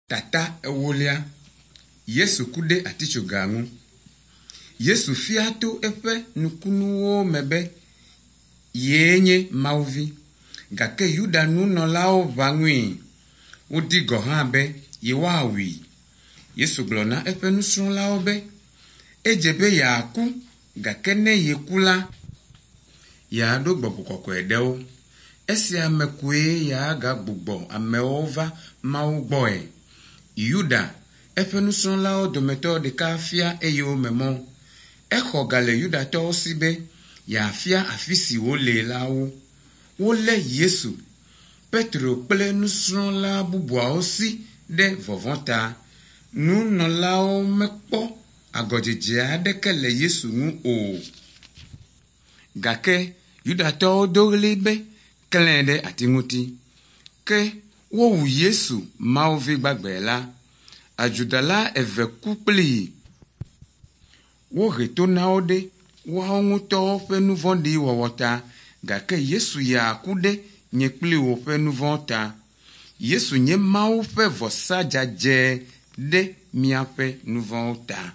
Tata ewolia. Yesu ku ɖe atitsoga ŋu. Yesu fia to eƒe nukunuwo me be yee nye Mawu vi. Gake Yuda nunɔlawo ʋã ŋui. Wodi gɔ̃ hã be yewoawui. Yesu gblɔ na eƒe nusrɔ̃lawo be edze be yeaku gake ne yeku la, yeaɖo gbɔgbɔ kɔkɔe ɖe wo. Esia me koe yeagagbugbɔ amewo va Mawu gbɔe. Yuda, eƒe nusrɔ̃lawo dometɔ ɖeka fia eyome mɔ. Exɔ ga le Yudatɔwo si be yeafia afi si wole la wo. Wolé Yesu. Petro kple nusrɔ̃la bubuawo si ɖe vɔvɔ̃ ta. Nunɔlawo mekpɔ agɔdzedze aɖeke le Yesu ŋu o. Gake Yudatɔwo do ɣli be, klãe ɖe ati ŋuti. Ke wowu Yesu, Mawu vi gbagbe la. Adzodala eve ku kplii. Wohe to na wo ɖe woawo ŋutɔwo ƒe nu vɔ̃ɖi wɔwɔ ta gake Yesu ya ku ɖe nye kpli wò ƒe nu vɔ̃ ta. Yesu nye Mawu ƒe vɔsa dzadzɛ ɖe míaƒe nu vɔ̃wo ta.